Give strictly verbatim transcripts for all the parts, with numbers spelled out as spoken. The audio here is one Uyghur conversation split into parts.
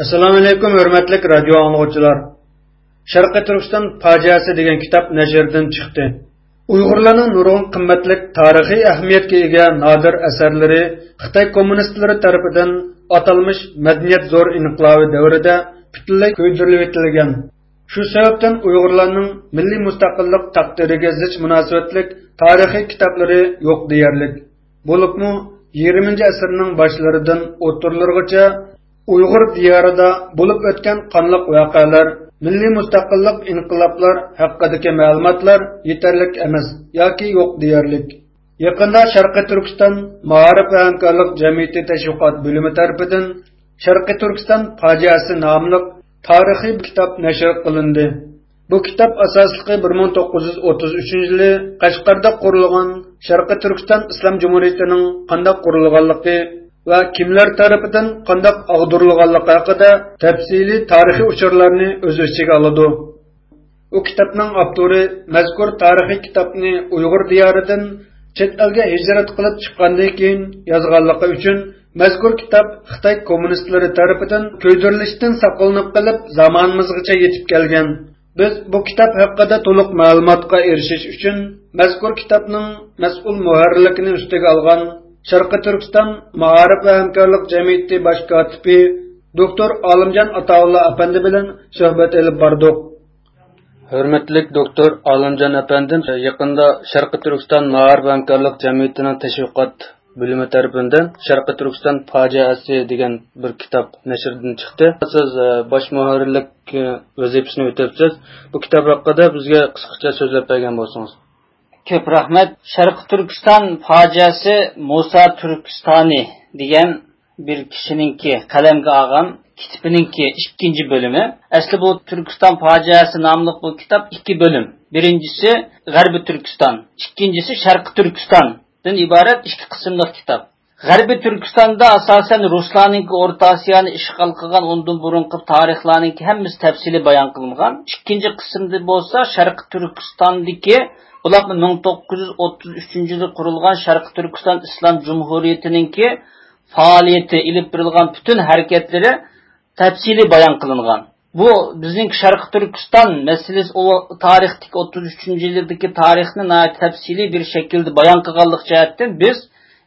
ئەسسالامۇئەلەيكۇم، ھۆرمەتلىك رادىيو ئاڭلىغۇچىلار! شەرقىي تۈركىستان پاجىئەسى دېگەن كىتاب نەشردىن چىقتى. ئۇيغۇرلارنىڭ نۇرغۇن قىممەتلىك تارىخىي ئەھمىيەتكە ئىگە نادىر ئەسەرلىرى خىتاي كوممۇنىستلىرى تەرىپىدىن ئاتالمىش مەدەنىيەت زور ئىنقىلابى دەۋرىدە پۈتۈنلەي كۆيدۈرۈلۈۋېتىلگەن. شۇ سەۋەبتىن ئۇيغۇرلارنىڭ مىللىي مۇستەقىللىق تەقدىرىگە زىچ مۇناسىۋەتلىك تارىخىي كىتابلىرى يوق دېيەرلىك. بولۇپمۇ يىگىرمىنچى ئەسىرنىڭ باشلىرىدىن ئوتتۇرىلىرىغىچە ئۇيغۇر دىيارىدا بولۇپ ئۆتكەن قانلىق ۋەقەلەر، مىللىي مۇستەقىللىق ئىنقىلابلار ھەققىدىكى مەلۇماتلار يېتەرلىك ئەمەس ياكى يوق دېيەرلىك. يېقىندا شەرقىي تۈركىستان مائارىپ ۋە ھەمكارلىق جەمئىيىتى تەشۋىقات بۆلۈمى تەرىپىدىن شەرقىي تۈركىستان پاجىئەسى ناملىق تارىخىي كىتاب نەشر قىلىندى. بۇ كىتاب ئاساسلىقى بىر مىڭ توققۇز يۈز ئوتتۇز ئۈچىنچى يىلى قەشقەردە قۇرۇلغان شەرقىي تۈركىستان ئىسلام جۇمھۇرىيىتىنىڭ قانداق قۇرۇلغانلىقى ۋە كىملەر تەرىپىدىن قانداق ئاغدۇرۇلغانلىقى ھەققىدە تەپسىلىي تارىخىي ئۇچۇرلارنى ئۆز ئىچىگە ئالىدۇ. ئۇ كىتابنىڭ ئاپتورى مەزكۇر تارىخىي كىتابنى ئۇيغۇر دىيارىدىن چەت ئەلگە ھىجرەت قىلىپ چىققاندىن كېيىن يازغانلىقى ئۈچۈن مەزكۇر كىتاب خىتاي كوممۇنىستلىرى تەرىپىدىن كۆيدۈرۈلۈشتىن ساقلىنىپ قېلىپ زامانىمىزغىچە يېتىپ كەلگەن. بىز بۇ كىتاب ھەققىدە تولۇق مەلۇماتقا ئېرىشىش ئۈچۈن مەزكۇر كىتابنىڭ مەسئۇل مۇھەررىرلىكىنى ئۈستىگە ئالغان شەرقىي تۈركىستان مائارىپ ۋە ھەمكارلىق جەمئىيىتى باش كاتىپى دوكتور ئالىمجان ئاتاۋۇللا ئەپەندى بىلەن سۆھبەت ئېلىپ باردۇق. ھۆرمەتلىك دوكتور ئالىمجان ئەپەندىم، يېقىندا شەرقىي تۈركىستان مائارىپ ھەمكارلىق جەمئىيىتىنىڭ تەشۋىقات بۆلۈمى تەرىپىدىن شەرقىي تۈركىستان پاجىئەسى دېگەن بىر كىتاب نەشردىن چىقتى. سىز، ئە، باش مۇھەررىرلىك، ئە، ۋەزىپىسىنى ئۆتەپسىز. بۇ كىتاب ھەققىدە بىزگە قىسقىچە سۆزلەپ بەرگەن بولسىڭىز. كۆپ رەھمەت. شەرقىي تۈركىستان پاجىئەسى مۇسا تۈركىستانى دېگەن بىر كىشىنىڭكى قەلەمگە ئالغان كىتابىنىڭكى ئىككىنچى بۆلۈمى. ئەسلى بۇ تۈركىستان پاجىئەسى ناملىق بۇ كىتاب ئىككى بۆلۈم. بىرىنچىسى غەربىي تۈركىستان، ئىككىنچىسى شەرقىي تۈركىستاندىن ئىبارەت ئىككى قىسىملىق كىتاب. غەربىي تۈركىستاندا ئاساسەن رۇسلارنىڭكى ئورتا ئاسىيانى ئىشغال قىلغان ئۇندىن بۇرۇنقى تارىخلارنىڭكى ھەممىسى تەپسىلىي بايان قىلىنغان. ئىككىنچى قىسىمدا بولسا شەرقىي تۈركىستاندىكى، بولۇپمۇ مىڭ توققۇز يۈز ئوتتۇز ئۈچىنچى يىلى قۇرۇلغان شەرقىي تۈركىستان ئىسلام جۇمھۇرىيىتىنىڭكى پائالىيىتى، ئېلىپ بېرىلغان پۈتۈن ھەرىكەتلىرى تەپسىلىي بايان قىلىنغان. بۇ بىزنىڭ شەرقىي تۈركىستان مەسىلىسى، ئۇ تارىختىكى ئوتتۇز ئۈچىنچى يىلدىكى تارىخنى ناھايىتى تەپسىلىي بىر شەكىلدە بايان قىلغانلىقى جەھەتتىن بىز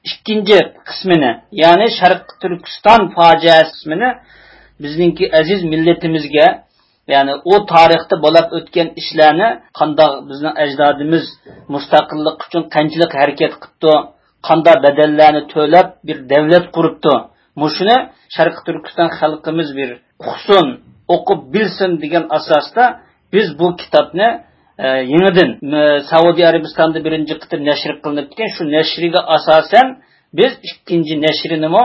ئىككىنچى قىسمىنى، يەنى شەرقىي تۈركىستان پاجىئەسى قىسمىنى بىزنىڭكى ئەزىز مىللىتىمىزگە، يەنى ئۇ تارىختا بولۇپ ئۆتكەن ئىشلارنى، قانداق بىزنىڭ ئەجدادىمىز مۇستەقىللىق ئۈچۈن قانچىلىك ھەرىكەت قىپتۇ، قانداق بەدەللەرنى تۆلەپ بىر دەۋلەت قۇرۇپتۇ. مۇشۇنى شەرقىي تۈركىستان خەلقىمىز بىر ئۇقسۇن، ئوقۇپ بىلسۇن دېگەن ئاساستا بىز بۇ كىتابنى، ئە، يېڭىدىن، ئە، سەئۇدى ئەرەبىستاندا بىرىنچى قېتىم نەشر قىلىنىپتىكەن، شۇ نەشرىگە ئاساسەن بىز ئىككىنچى نەشرىنىمۇ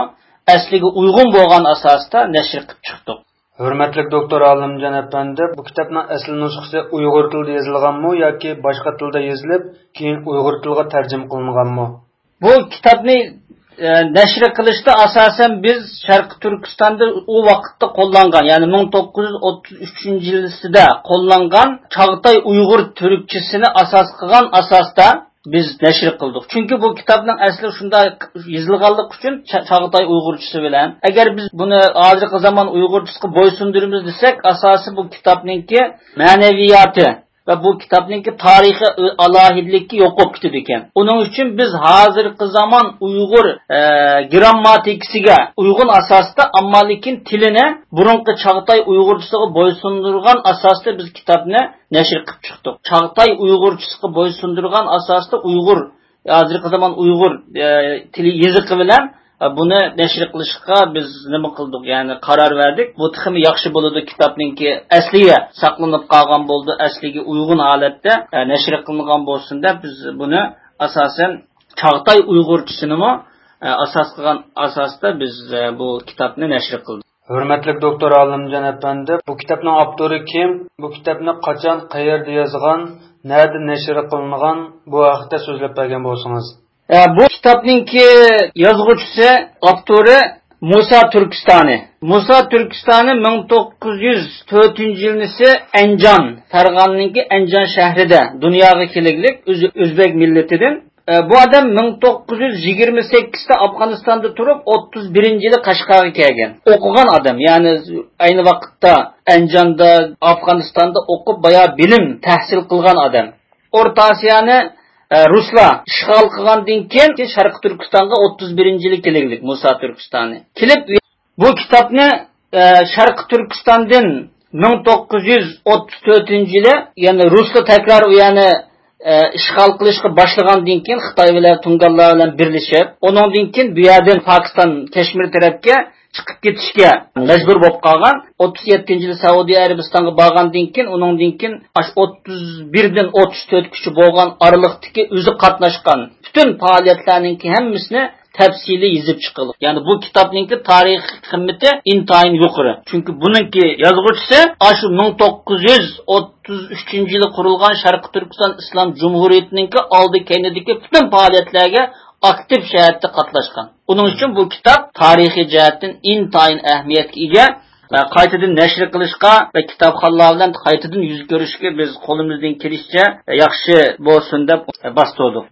ئەسلىگە ئۇيغۇن بولغان ئاساستا نەشر قىلىپ چىقتۇق. ھۆرمەتلىك دوكتور ئالىمجان ئەپەندى، بۇ كىتابنىڭ ئەسلى نۇسخىسى ئۇيغۇر تىلىدا يېزىلغانمۇ ياكى باشقا تىلدا يېزىلىپ، كېيىن ئۇيغۇر تىلىغا تەرجىمە قىلىنغانمۇ؟ بۇ كىتابنى، ئە، نەشر قىلىشتا ئاساسەن بىز شەرقىي تۈركىستاندا ئۇ ۋاقىتتا قوللانغان، يەنى مىڭ توققۇز يۈز ئوتتۇز ئۈچىنچى يىلىسىدا قوللانغان چاغتاي ئۇيغۇر تۈركچىسىنى ئاساس قىلغان ئاساستا بىز نەشر قىلدۇق. چۈنكى بۇ كىتابنىڭ ئەسلى شۇنداق يېزىلغانلىقى ئۈچۈن چا-، چاغتاي ئۇيغۇرچىسى بىلەن. ئەگەر بىز بۇنى ھازىرقى زامان ئۇيغۇرچىسىغا بويسۇندۇرىمىز دېسەك، ئاساسى بۇ كىتابنىڭكى مەنەۋىياتى ۋە بۇ كىتابنىڭكى تارىخىي ئالاھىدىلىكى يوق بولۇپ كېتىدىكەن. ئۇنىڭ ئۈچۈن بىز ھازىرقى زامان ئۇيغۇر، ئە، گرامماتىكىسىگە ئۇيغۇن ئاساستا، ئەمما لېكىن تىلىنى بۇرۇنقى چاغتاي ئۇيغۇرچىسىغا بويسۇندۇرغان ئاساستا بىز كىتابنى نەشر قىلىپ چىقتۇق. چاغتاي ئۇيغۇرچىسىغا بويسۇندۇرغان ئاساستا ئۇيغۇر، ھازىرقى زامان ئۇيغۇر، ئە، تىلى يېزىقى بىلەن، ئە، بۇنى نەشر قىلىشقا بىز نېمە قىلدۇق؟ يەنى قارار بەردۇق. بۇ تېخىمۇ ياخشى بولىدۇ، كىتابنىڭكى ئەسلىگە ساقلىنىپ قالغان بولىدۇ، ئەسلىگە ئۇيغۇن ھالەتتە، ئە، نەشر قىلىنغان بولسۇن دەپ بىز بۇنى ئاساسەن چاغتاي ئۇيغۇرچىسىنىمۇ، ئە، ئاساس قىلغان ئاساستا بىز، ئە، بۇ كىتابنى نەشر قىلدۇق. ھۆرمەتلىك دوكتور ئالىمجان ئەپەندى، بۇ كىتابنىڭ ئاپتورى كىم؟ بۇ كىتابنى قاچان، قەيەردە يازغان، نەدە نەشر قىلىنغان؟ بۇ ھەقتە سۆزلەپ بەرگەن بولسىڭىز. ئە، بۇ كىتابنىڭكى يازغۇچىسى، ئاپتورى مۇسا تۈركىستانى. مۇسا تۈركىستانى مىڭ توققۇز يۈز تۆتىنچى يىلنىسى ئەنجان، فەرغانىنىڭكى ئەنجان شەھىرىدە دۇنياغا كېلىگلىك ئۆز-، ئۆزبەك مىللىتىدىن. ئە، بۇ ئادەم مىڭ توققۇز يۈز يىگىرمە سەككىزدە ئافغانىستاندا تۇرۇپ، ئوتتۇز بىرىنچى يىلى قەشقەرگە كەلگەن. ئوقۇغان ئادەم، يەنى ئەينى ۋاقىتتا ئەنجاندا، ئافغانىستاندا ئوقۇپ، بايا بىلىم تەھسىل قىلغان ئادەم. ئورتا ئاسىيانى، ئە، رۇسلار ئىشغال قىلغاندىن كېيىن، شەرقىي تۈركىستانغا ئوتتۇز بىرىنچى يىلى كېلىگلىك، مۇسا تۈركىستانى. كېلىپ، بۇ كىتابنى، ئە، شەرقىي تۈركىستاندىن مىڭ توققۇز يۈز ئوتتۇز تۆتىنچى يىلى، يەنى رۇسلار تەكرار ئۇ يەرنى، ئە، ئىشغال قىلىشقا باشلىغاندىن كېيىن، خىتاي بىلەن تۇڭگانلار بىلەن بىرلىشىپ، ئۇنىڭدىن كېيىن بۇ يەردىن پاكىستان كەشمىر تەرەپكە چىقىپ كېتىشكە مەجبۇر بولۇپ قالغان. ئوتتۇز يەتتىنچى يىلى سەئۇدى ئەرەبىستانغا بارغاندىن كېيىن، ئۇنىڭدىن كېيىن ئاشۇ ئوتتۇز بىردىن ئوتتۇز تۆتكىچە بولغان ئارىلىقتىكى ئۆزى قاتناشقان پۈتۈن پائالىيەتلەرنىڭكى ھەممىسىنى تەپسىلىي يېزىپ چىقىلغان. يەنى بۇ كىتابنىڭكى تارىخىي قىممىتى ئىنتايىن يۇقىرى. چۈنكى بۇنىڭكى يازغۇچىسى ئاشۇ مىڭ توققۇز يۈز ئوتتۇز ئۈچىنچى يىلى قۇرۇلغان شەرقىي تۈركىستان ئىسلام جۇمھۇرىيىتىنىڭكى ئالدى كەينىدىكى پۈتۈن پائالىيەتلەرگە ئاكتىپ جەھەتتە قاتناشقان. ئۇنىڭ ئۈچۈن بۇ كىتاب تارىخىي جەھەتتىن ئىنتايىن ئەھمىيەتكە ئىگە. ۋە قايتىدىن نەشر قىلىشقا ۋە كىتابخانلار بىلەن قايتىدىن يۈز كۆرۈشكە بىز قولىمىزدىن كېلىشىچە ياخشى بولسۇن دەپ باستۇردۇق.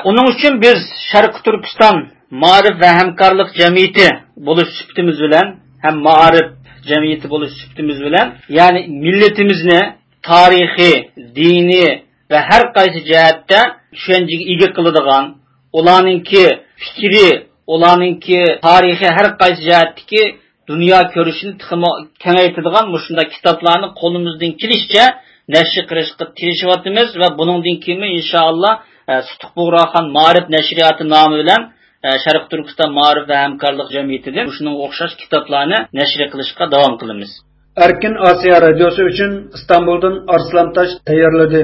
ئۇنىڭ ئۈچۈن بىز شەرقىي تۈركىستان مائارىپ ۋە ھەمكارلىق جەمئىيىتى بولۇش سۈپىتىمىز بىلەن ھەم مائارىپ جەمئىيىتى بولۇش سۈپىتىمىز بىلەن، يەنى مىللىتىمىزنى تارىخىي، دىنىي ۋە ھەر قايسى جەھەتتە چۈشەنچىگە ئىگە قىلىدىغان، ئۇلارنىڭكى پىكرى، ئۇلارنىڭكى تارىخىي ھەر قايسى جەھەتتىكى دۇنيا كۆرۈشىنى تېخىمۇ كېڭەيتىدىغان مۇشۇنداق كىتابلارنى قولىمىزدىن كېلىشىچە نەشر قىلىشقا تىرىشىۋاتىمىز ۋە بۇنىڭدىن كېيىنمۇ ئىنشائاللا، ئە، سۇتۇق بۇغراخان مائارىپ نەشرىياتى نامى بىلەن، ئە، شەرقىي تۈركىستان مائارىپ ۋە ھەمكارلىق جەمئىيىتىدىن مۇشۇنىڭغا ئوخشاش كىتابلارنى نەشر قىلىشقا داۋام قىلىمىز. ئەركىن ئاسىيا رادىيوسى ئۈچۈن ئىستانبۇلدىن ئارسلان تاش تەييارلىدى.